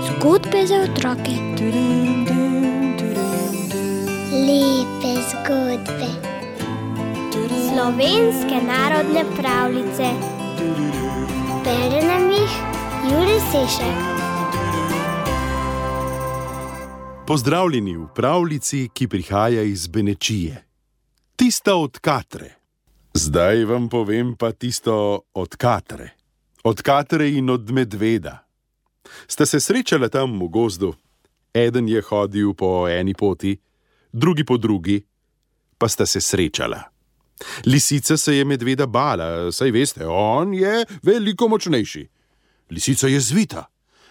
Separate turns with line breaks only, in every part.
Zgodbe za otroke.
Lepe zgodbe.
Slovenske narodne pravljice.
Bere nam jih Jurij Sešek.
Pozdravljeni v pravljici, ki prihaja iz Benečije. Tista od Katre. Zdaj vam povem pa tisto od Katre. Od Katre in od medveda. Sta se srečala tam v gozdu. Eden je hodil po eni poti, drugi po drugi, pa sta se srečala. Lisica se je medveda bala, saj veste, on je veliko močnejši. Lisica je zvita,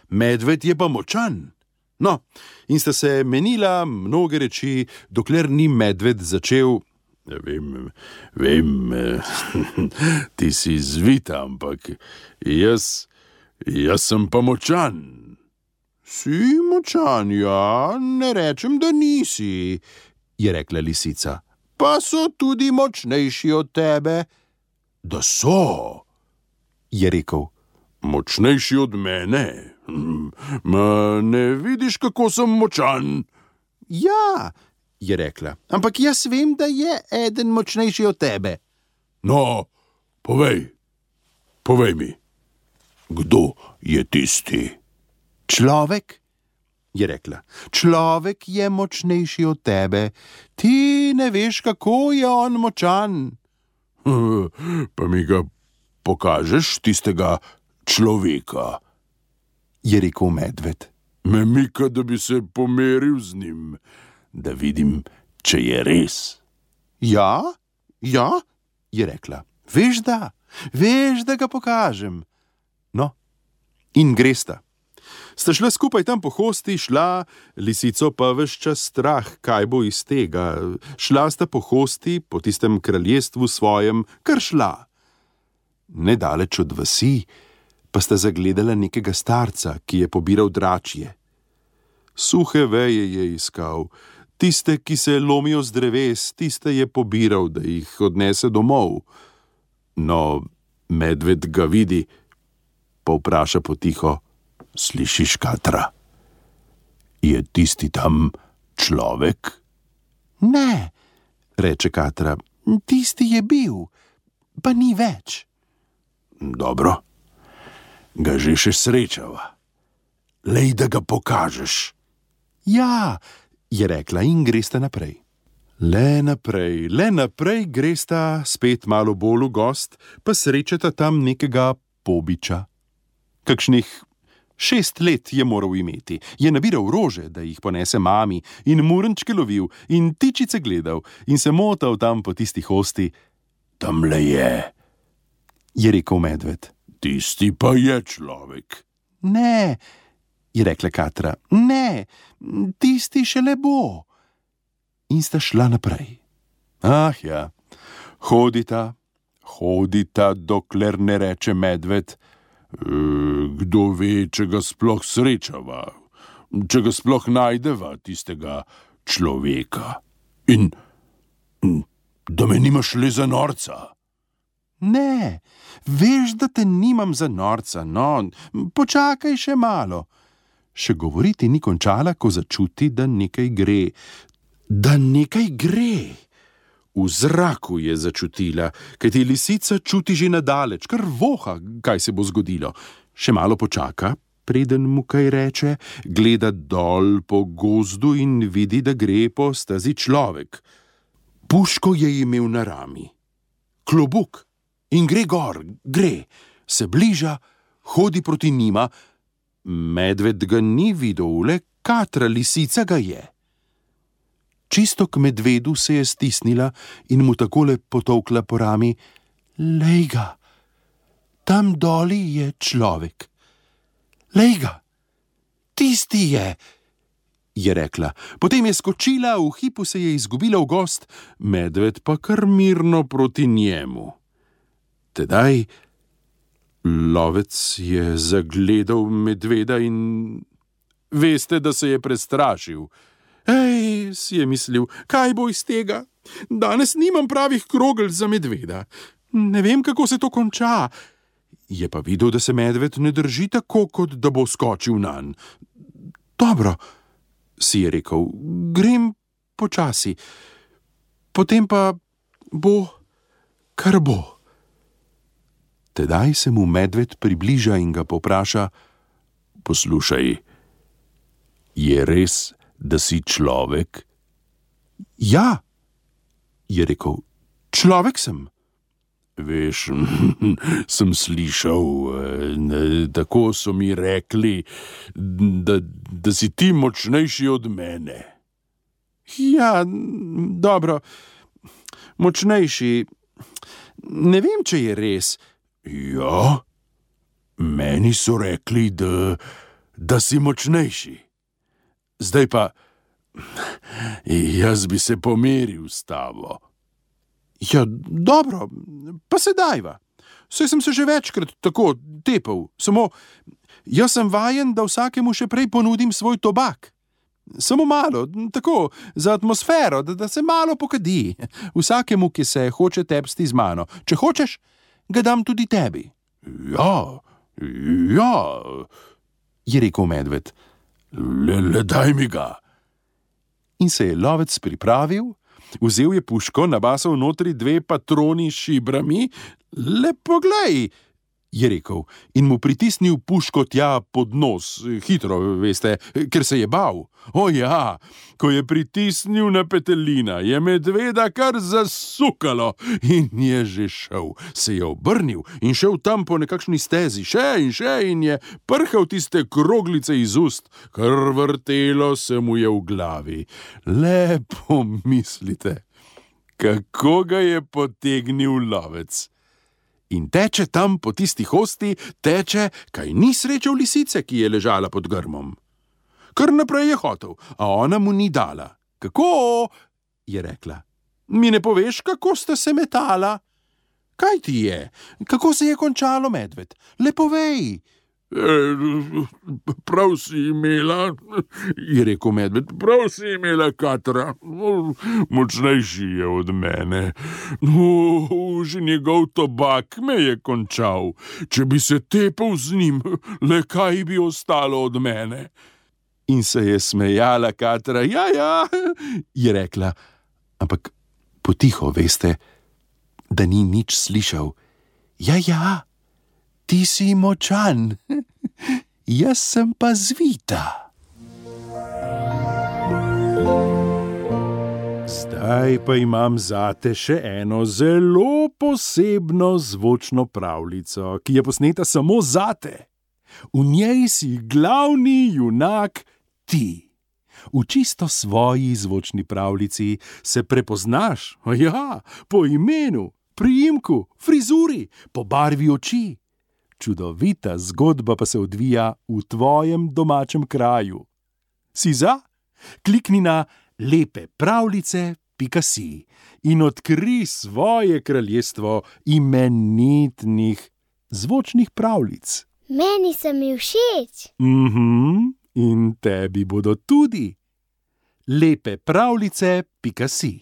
medved je pa močan. No, in sta se menila mnoge reči, dokler ni medved začel: Vem, ti si zvita, ampak jaz sem pa močan. Si močan, ja, ne rečem, da nisi, je rekla lisica. Pa so tudi močnejši od tebe. Da so, je rekel. Močnejši od mene? Ma ne vidiš, kako sem močan? Ja, je rekla, ampak jaz vem, da je eden močnejši od tebe. No, povej mi, kdo je tisti? Človek, je rekla, človek je močnejši od tebe. Ti ne veš, kako je on močan. Pa mi ga pokažeš, tistega človeka, je rekel medved. Me mika, da bi se pomeril z njim, da vidim, če je res. Ja, je rekla, veš, da ga pokažem. No, in gresta. Sta šla skupaj tam po hosti, lisico pa ves čas strah, kaj bo iz tega. Šla sta po hosti, po tistem kraljestvu svojem, kar šla. Nedaleč od vasi pa sta zagledala nekega starca, ki je pobiral dračje. Suhe veje je iskal, tiste, ki se lomijo z dreves, tiste je pobiral, da jih odnese domov. No, medved ga vidi, pa vpraša potiho: Slišiš, Katra, je tisti tam človek? Ne, reče Katra, tisti je bil, pa ni več. Dobro, ga že še srečava. Lej, da ga pokažeš. Ja, je rekla in gresta naprej. Le naprej gresta, spet malo bolj v gost, pa srečata tam nekega pobiča. Kakšnih 6 let je moral imeti, je nabiral rože, da jih ponese mami, in murenčke lovil in tičice gledal in se motal tam po tisti hosti. Tamle je rekel medved. Tisti pa je človek. Ne, je rekla Katra, ne, tisti šele bo. In sta šla naprej. Ah ja, hodita, dokler ne reče medved: Kdo ve, če ga sploh srečava, če ga sploh najdeva, tistega človeka. In da me nimaš le za norca. Ne, veš, da te nimam za norca, no, počakaj še malo. Še govoriti ni končala, ko začuti, da nekaj gre. V zraku je začutila, kajti lisica čuti že nadaleč, kar voha, kaj se bo zgodilo. Še malo počaka, preden mu kaj reče, gleda dol po gozdu in vidi, da gre po stazi človek. Puško je imel na rami, klobuk, in gre gor, se bliža, hodi proti njima. Medved ga ni videl, le Katra, lisica, ga je. Čisto k medvedu se je stisnila in mu takole potolkla po rami: Lej ga, tam doli je človek. Lej ga, tisti je rekla. Potem je skočila, v hipu se je izgubila v gozd, medved pa kar mirno proti njemu. Tedaj lovec je zagledal medveda in veste, da se je prestrašil. Ej, si je mislil, kaj bo iz tega? Danes nimam pravih krogel za medveda. Ne vem, kako se to konča. Je pa videl, da se medved ne drži tako, kot da bo skočil nanj. Dobro, si je rekel, grem počasi, potem pa bo, kar bo. Tedaj se mu medved približa in ga povpraša: poslušaj, je res, da si človek? Ja, je rekel, človek sem. Veš, sem slišal, tako so mi rekli, da si ti močnejši od mene. Ja, dobro, močnejši, ne vem, če je res. Ja, meni so rekli, da si močnejši. Zdaj pa, jaz bi se pomeril s tabo. Ja, dobro, pa se dajva. Saj sem se že večkrat tako tepal, samo jaz sem vajen, da vsakemu še prej ponudim svoj tobak. Samo malo, tako, za atmosfero, da se malo pokadi. Vsakemu, ki se hoče tepsti z mano. Če hočeš, ga dam tudi tebi. Ja, je rekel medved. Le daj mi ga. In se je lovec pripravil, vzel je puško, nabasal notri 2 patroni s šibrami. Le poglej, je rekel, in mu pritisnil puško tja pod nos, hitro, veste, ker se je bal. O ja, ko je pritisnil na petelina, je medveda kar zasukalo in je že šel. Se je obrnil in šel tam po nekakšni stezi, še in je prhal tiste kroglice iz ust, kar vrtelo se mu je v glavi. Le pomislite, kako ga je potegnil lovec. In teče tam po tisti hosti, teče, kaj ni srečal lisice, ki je ležala pod grmom. Kar naprej je hotel, a ona mu ni dala. Kako? Je rekla. Mi ne poveš, kako sta se metala? Kaj ti je? Kako se je končalo, medved? Le povej. Prav si imela, je rekel medved, prav si imela, Katra. Močnejši je od mene. Že njegov tobak me je končal. Če bi se tepal z njim, le kaj bi ostalo od mene? In se je smejala Katra. Ja, je rekla, ampak potiho, veste, da ni nič slišal. Ja, ti si močan, jaz sem pa zvita. Zdaj pa imam zate še eno zelo posebno zvočno pravljico, ki je posneta samo zate. V njej si glavni junak ti. V čisto svoji zvočni pravljici se prepoznaš, po imenu, priimku, frizuri, po barvi oči. Čudovita zgodba pa se odvija v tvojem domačem kraju. Si za? Klikni na lepepravljice.si in odkri svoje kraljestvo imenitnih zvočnih pravljic.
Meni so mi všeč.
In tebi bodo tudi. lepepravljice.si